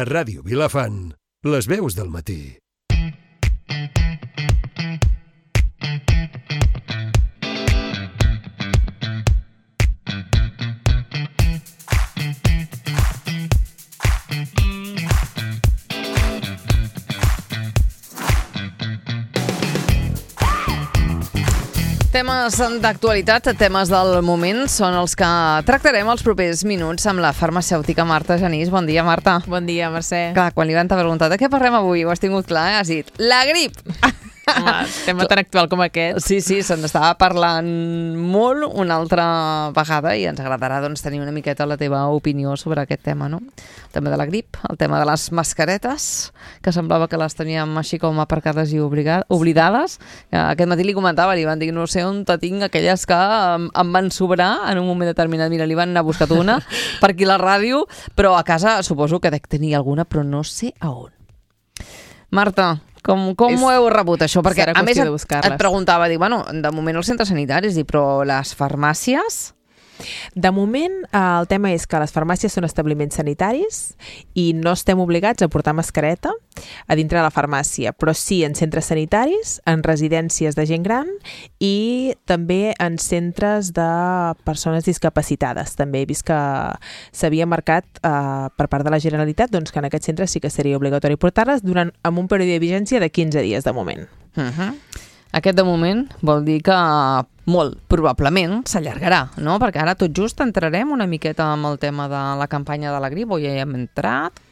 A Ràdio Vilafant, les veus del matí. Temes d'actualitat, temes del moment, són els que tractarem els propers minuts amb la farmacèutica Marta Genís. Bon dia, Marta. Bon dia, Mercè. Clar, quan l'Ivan t'ha preguntat de què parlem avui, ho has tingut clar, Has dit, la grip! Home, tema tan actual com aquest. Sí, se n'estava parlant molt una altra vegada i ens agradarà tenir una miqueta la teva opinió sobre aquest tema, no? El tema de la grip, el tema de les mascaretes, que semblava que les teníem així com aparcades i oblidades. Aquest matí li comentava, li van dir, no sé on te tinc aquelles que em van sobrar en un moment determinat. Mira, li van anar a buscar una per aquí a la ràdio, però a casa suposo que dec tenir alguna, però no sé a on. Marta, com ho heu rebut, això? Perquè, a més, et preguntava, bueno, de moment els centres sanitaris, però les farmàcies... De moment, el tema és que les farmàcies són establiments sanitaris i no estem obligats a portar mascareta a dintre de la farmàcia, però sí en centres sanitaris, en residències de gent gran i també en centres de persones discapacitades. També he vist que s'havia marcat per part de la Generalitat que en aquests centres sí que seria obligatori portar-les amb un període de vigència de 15 dies de moment. Aquest de moment vol dir que molt probablement s'allargarà, no? Perquè ara tot just entrarem una miqueta amb el tema de la campanya de la grip, o ja hi hem entrat.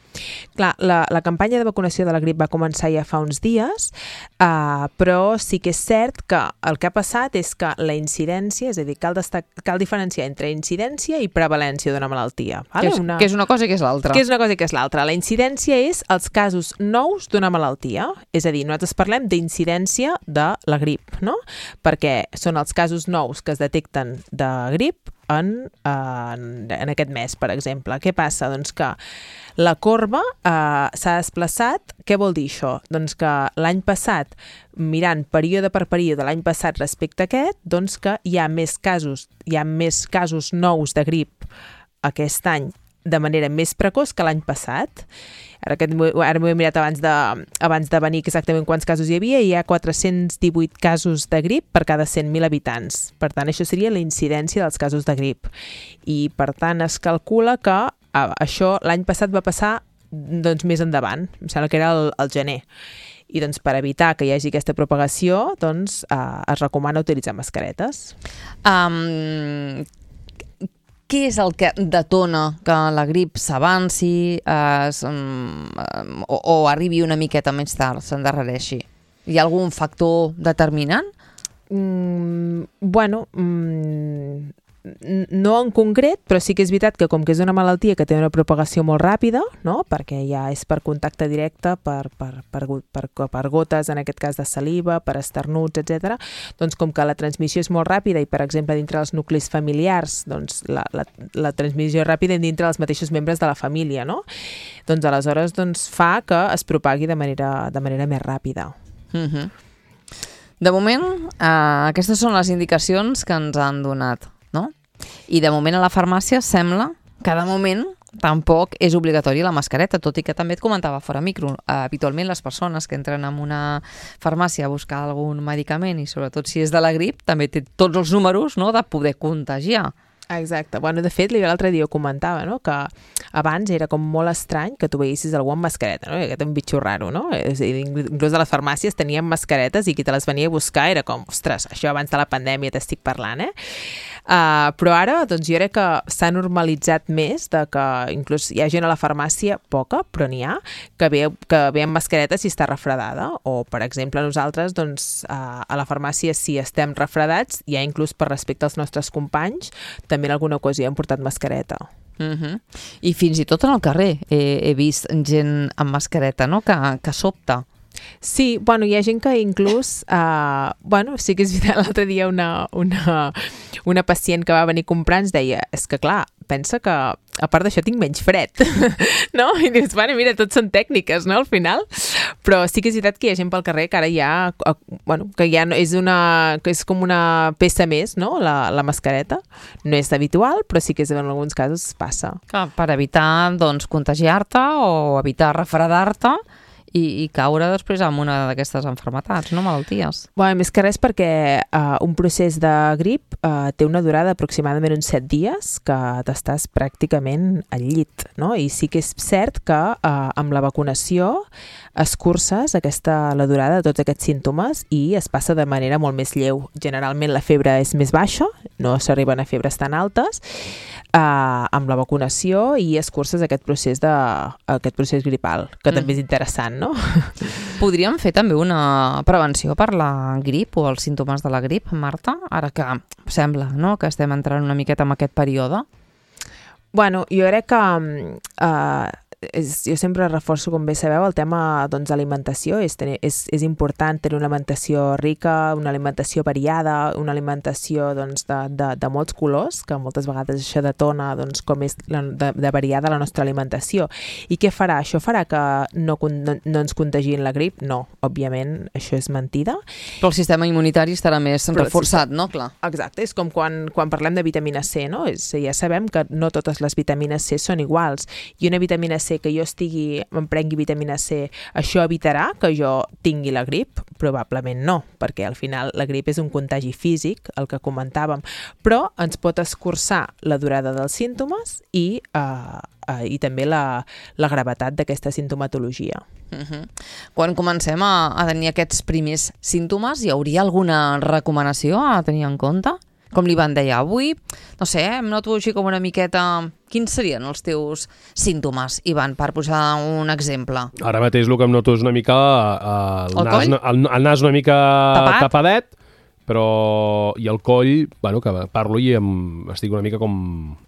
Clar, la campanya de vacunació de la grip va començar ja fa uns dies, però sí que és cert que el que ha passat és que la incidència, és a dir, cal diferenciar entre incidència i prevalència d'una malaltia. Vale? Que és una cosa i que és l'altra. Que és una cosa i que és l'altra. La incidència és els casos nous d'una malaltia, és a dir, nosaltres parlem d'incidència de la grip, no? Perquè són els casos nous que es detecten de grip en aquest mes, per exemple. Què passa? Doncs que la corba s'ha desplaçat. Què vol dir això? Doncs que l'any passat, mirant període per període l'any passat respecte a aquest, doncs que hi ha més casos nous de grip aquest any de manera més precoç que l'any passat. Ara m'ho he mirat abans de venir exactament quants casos hi havia, i hi ha 418 casos de grip per cada 100.000 habitants. Per tant, això seria la incidència dels casos de grip. I, per tant, es calcula que això l'any passat va passar més endavant, em sembla que era el gener. I per evitar que hi hagi aquesta propagació, es recomana utilitzar mascaretes. Què és el que detona que la grip s'avanci o arribi una miqueta més tard, s'endarrereixi? Hi ha algun factor determinant? No en concret, però sí que és veritat que com que és una malaltia que té una propagació molt ràpida, no? Perquè ja és per contacte directe, per gotes, en aquest cas de saliva, per esternuts, etc. Doncs com que la transmissió és molt ràpida i, per exemple, dintre dels nuclis familiars, doncs la transmissió és ràpida dintre dels mateixos membres de la família, no? Doncs aleshores fa que es propagui de manera més ràpida. De moment, aquestes són les indicacions que ens han donat, no? I de moment a la farmàcia sembla que de moment tampoc és obligatori la mascareta, tot i que també et comentava fora micro. Habitualment les persones que entren en una farmàcia a buscar algun medicament, i sobretot si és de la grip, també té tots els números, no?, de poder contagiar. Exacte. Bueno, de fet, l'altre dia ho comentava, no?, que abans era com molt estrany que tu veiessis algú amb mascareta, no? Aquest un bitxo raro, no? Inclús a les farmàcies tenien mascaretes i qui te les venia a buscar era com, ostres, això abans de la pandèmia t'estic parlant, però ara, doncs jo crec que s'ha normalitzat més de que inclús hi ha gent a la farmàcia, poca, però n'hi ha, que ve amb mascareta si està refredada, o, per exemple, nosaltres, doncs, a la farmàcia, si estem refredats, ja inclús per respecte als nostres companys, també en alguna ocasió hem portat mascareta. I fins i tot en el carrer he vist gent amb mascareta, no?, que sobta. Sí, bueno, hi ha gent que inclús, sí que és veritat, l'altre dia una pacient que va venir a comprar ens deia, és que clar, pensa que a part d'això tinc menys fred, no? I dius, bueno, mira, tot són tècniques, no?, al final, Però sí que és veritat que hi ha gent pel carrer que ara ja, que ja que és com una peça més, no? La mascareta. No és habitual, però sí que en alguns casos passa. Per evitar, doncs, contagiar-te o evitar refredar-te i caure després en una d'aquestes malalties, no? Malalties. Més que res perquè un procés de grip té una durada aproximadament uns 7 dies que t'estàs pràcticament al llit, no? I sí que és cert que amb la vacunació escurces la durada de tots aquests símptomes i es passa de manera molt més lleu. Generalment la febre és més baixa, no s'arriben a febres tan altes, amb la vacunació i escurces aquest procés gripal, que també és interessant, no? Podríem fer també una prevenció per la grip o els símptomes de la grip, Marta? Ara que sembla, no?, que estem entrant una miqueta en aquest període. Jo crec que jo sempre reforço, com bé sabeu, el tema d'alimentació. És important tenir una alimentació rica, una alimentació variada, una alimentació de molts colors, que moltes vegades això detona com és de variada la nostra alimentació. I què farà? Això farà que no ens contagiïn la grip? No, òbviament, això és mentida. Però el sistema immunitari estarà més reforçat, no? Clar. Exacte, és com quan parlem de vitamina C, no? Ja sabem que no totes les vitamines C són iguals, i una vitamina C que jo em prengui vitamina C, això evitarà que jo tingui la grip? Probablement no, perquè al final la grip és un contagi físic, el que comentàvem, però ens pot escurçar la durada dels símptomes i també la gravetat d'aquesta sintomatologia. Quan comencem a tenir aquests primers símptomes, hi hauria alguna recomanació a tenir en compte? Com l'Ivan deia, avui, no sé, em noto així com una miqueta... Quins serien els teus símptomes, Ivan, per posar un exemple? Ara mateix el que em noto és una mica el nas una mica tapadet, però i el coll, que parlo i estic una mica com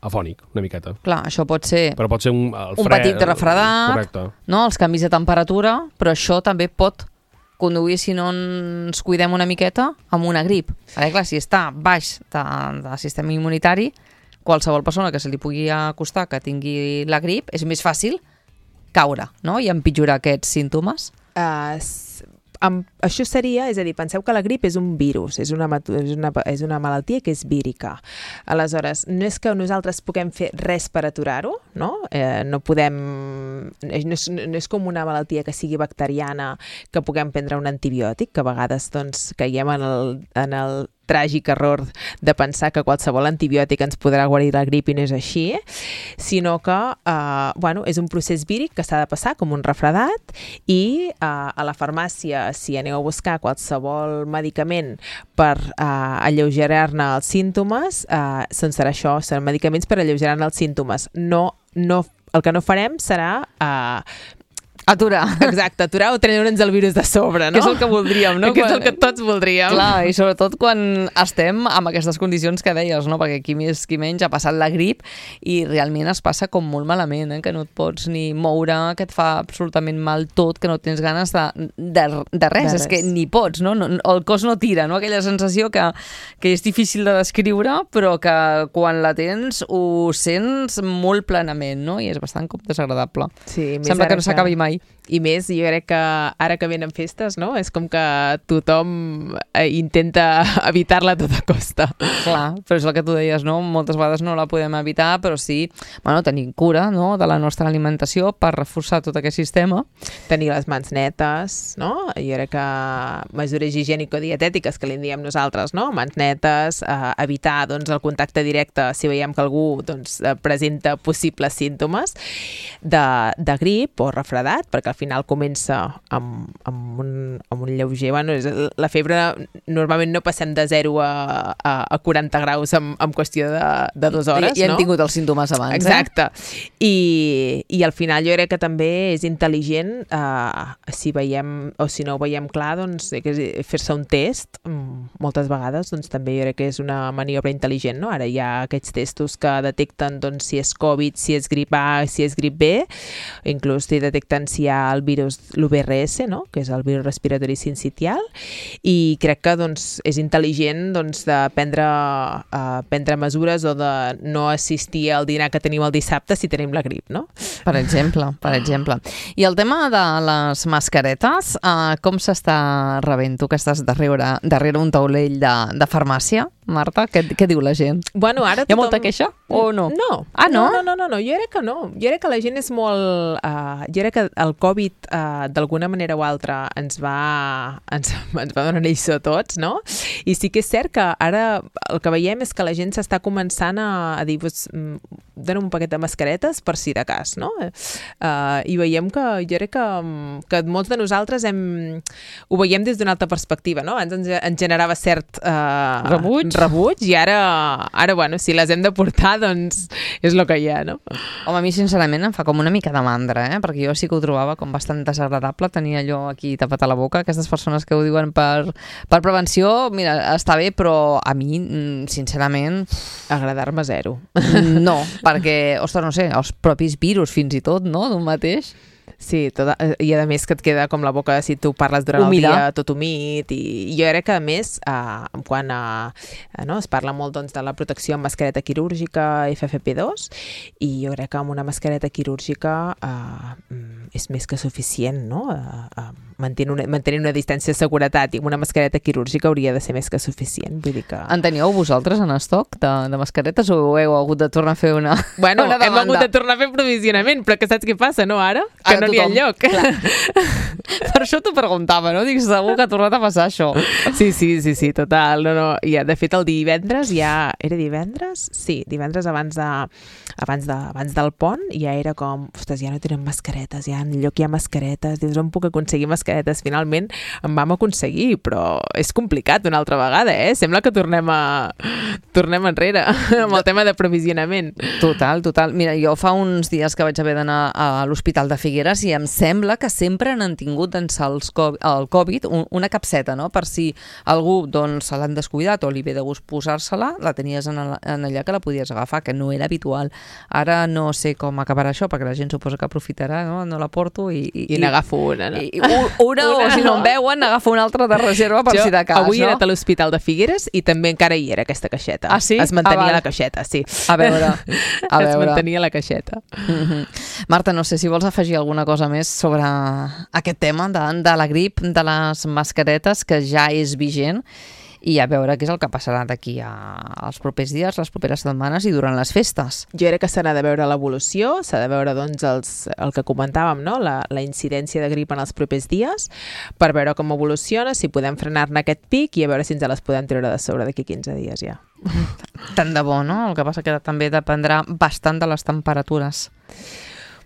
afònic, una miqueta. Clar, això pot ser, però pot ser un petit refredat, correcte, no? Els canvis de temperatura, però això també pot conduir, si no ens cuidem una miqueta, amb una grip. Perquè, clar, si està baix del sistema immunitari, qualsevol persona que se li pugui acostar que tingui la grip, és més fàcil caure, no?, i empitjorar aquests símptomes. Això seria, és a dir, penseu que la grip és un virus, és una malaltia que és vírica. Aleshores, no és que nosaltres puguem fer res per aturar-ho, no? No és com una malaltia que sigui bacteriana, que puguem prendre un antibiòtic, que a vegades caiem en el tràgic error de pensar que qualsevol antibiòtic ens podrà guarir la grip i no és així, sinó que és un procés víric que s'ha de passar com un refredat i a la farmàcia, si aneu a buscar qualsevol medicament per alleugerar-ne els símptomes, serà això, seran medicaments per alleugerar-ne els símptomes. El que no farem serà... aturar. Exacte, aturar o treure'ns el virus de sobre, no? Que és el que voldríem, no? Que és el que tots voldríem. Clar, i sobretot quan estem amb aquestes condicions que deies, no? Perquè qui més qui menys ha passat la grip i realment es passa com molt malament, que no et pots ni moure, que et fa absolutament mal tot, que no tens ganes de res, és que ni pots, no? El cos no tira, no? Aquella sensació que és difícil de descriure, però que quan la tens ho sents molt plenament, no? I és bastant com desagradable. Sí, sembla que no s'acabi mai. I més, jo crec que ara que venen festes, no? És com que tothom intenta evitar-la a tota costa. Clar, però és el que tu deies, no? Moltes vegades no la podem evitar, però sí, tenir cura, no?, de la nostra alimentació per reforçar tot aquest sistema. Tenir les mans netes, no? Jo crec que mesures higiènico-dietètiques, que li en diem nosaltres, no? Mans netes, evitar el contacte directe si veiem que algú presenta possibles símptomes de grip o refredat, perquè al final comença amb un lleuger... La febre normalment no passem de 0 a 40 graus en qüestió de 2 hores, no? Ja hem tingut els símptomes abans. Exacte. I al final jo crec que també és intel·ligent, si veiem o si no ho veiem clar, fer-se un test, moltes vegades també jo crec que és una maniobra intel·ligent, no? Ara hi ha aquests testos que detecten si és Covid, si és grip A, si és grip B, inclús si detecten si hi ha el virus, l'UVRS, no? Que és el virus respiratori sincitial, i crec que doncs, és intel·ligent doncs, de prendre mesures o de no assistir al dinar que tenim el dissabte si tenim la grip, no? Per exemple. I el tema de les mascaretes, com s'està rebent? Tu que estàs darrere un taulell de farmàcia, Marta, què diu la gent? Bueno, ara hi ha molta queixa o no? No. Ah, no? No, jo crec que no. Jo crec que la gent és molt... jo crec que el Covid, d'alguna manera o altra, ens va donar lliçó a tots, no? I sí que és cert que ara el que veiem és que la gent s'està començant a dir, dona'm un paquet de mascaretes per si de cas, no? I veiem que jo crec que molts de nosaltres ho veiem des d'una altra perspectiva, no? Abans ens generava cert rebuig i ara, bueno, si les hem de portar, doncs és el que hi ha, no? Home, a mi sincerament em fa com una mica de mandra, perquè jo sí que ho trobava com bastant desagradable tenir allò aquí tapat a la boca. Aquestes persones que ho diuen per prevenció, mira, està bé, però a mi, sincerament... Agradar-me zero. No, perquè, ostres, no sé, els propis virus fins i tot, no?, d'un mateix... Sí, i a més que et queda com la boca si tu parles durant el dia tot humit, i jo crec que a més quan es parla molt doncs, de la protecció amb mascareta quirúrgica FFP2, i jo crec que amb una mascareta quirúrgica és més que suficient, no? Mantenir una distància de seguretat i amb una mascareta quirúrgica hauria de ser més que suficient. Vull dir que... En teníeu vosaltres en estoc de mascaretes o heu hagut de tornar a fer una Bueno, una hem hagut de tornar a fer provisionament, però que saps què passa, no, ara? Que no n'hi ha enlloc. Per això t'ho preguntava, no? Dic, segur que ha tornat a passar això. Sí, total. No. Ja, de fet, el divendres ja... Era divendres? Sí, divendres abans del pont ja era com, ostres, ja no tenen mascaretes, ja enlloc hi ha mascaretes, dius, on puc aconseguir mascaretes? Finalment en vam aconseguir, però és complicat una altra vegada, Sembla que tornem enrere amb el tema de provisionament. Total. Mira, jo fa uns dies que vaig haver d'anar a l'Hospital de Figueres i em sembla que sempre n'han tingut el Covid una capseta, no? Per si algú se l'han descuidat o li ve de gust posar-se-la, la tenies en allà que la podies agafar, que no era habitual. Ara no sé com acabarà això, perquè la gent suposa que aprofitarà, no la porto i n'agafo una, no? Una, o si no em veuen, n'agafo una altra de reserva per si de cas, avui he anat a l'Hospital de Figueres i també encara hi era aquesta caixeta. Ah, sí? Es mantenia la caixeta, sí. A veure. Es mantenia la caixeta. Marta, no sé si vols afegir alguna cosa més sobre aquest tema de la grip, de les mascaretes, que ja és vigent, i a veure què és el que passarà d'aquí als propers dies, les properes setmanes i durant les festes. Jo crec que s'ha de veure l'evolució, s'ha de veure doncs, el que comentàvem, no? La incidència de grip en els propers dies, per veure com evoluciona, si podem frenar-ne aquest pic i a veure si ens les podem treure de sobre d'aquí 15 dies ja. Tant de bo, no? El que passa que també dependrà bastant de les temperatures.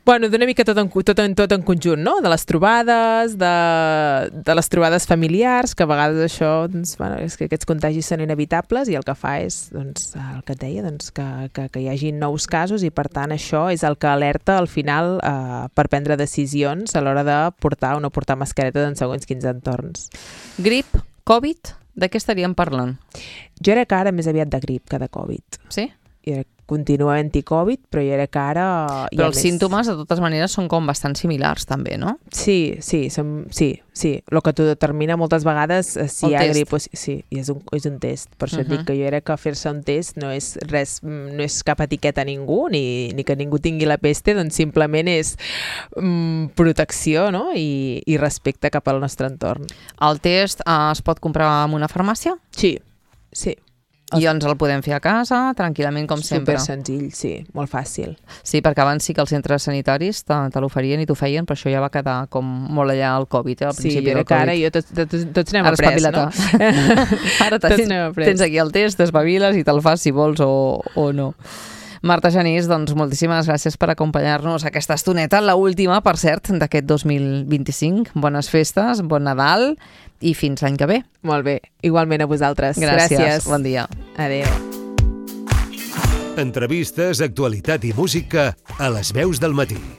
Bueno, d'una mica tot en conjunt, no? De les trobades, de les trobades familiars, que a vegades això, doncs, bueno, és que aquests contagis són inevitables i el que fa és, doncs, el que et deia, doncs, que hi hagi nous casos i, per tant, això és el que alerta al final per prendre decisions a l'hora de portar o no portar mascaretes en segons quins entorns. Grip, Covid, de què estaríem parlant? Jo crec que ara més aviat de grip que de Covid. Sí? Jo crec que continua havent-hi Covid, però jo crec que ara... Però els símptomes, de totes maneres, són com bastant similars, també, no? Sí. El que t'ho determina moltes vegades si hi ha grip o... Sí, és un test. Per això et dic que jo crec que fer-se un test no és res, no és cap etiqueta a ningú, ni que ningú tingui la peste, doncs simplement és protecció, no? I respecte cap al nostre entorn. El test es pot comprar en una farmàcia? Sí. I ens el podem fer a casa, tranquil·lament, com sempre. Super senzill, sí, molt fàcil. Sí, perquè abans sí que els centres sanitaris te l'oferien i t'ho feien, però això ja va quedar com molt allà al Covid, al principi del Covid. Sí, ara tots n'hem après, no? Ara tens aquí el test, t'espaviles i te'l fas si vols o no. Marta Genís, doncs moltíssimes gràcies per acompanyar-nos aquesta estoneta, l'última, per cert, d'aquest 2025. Bones festes, bon Nadal i fins l'any que ve. Molt bé, igualment a vosaltres. Gràcies. Bon dia. Adéu. Entrevistes, actualitat i música a Les Veus del Matí.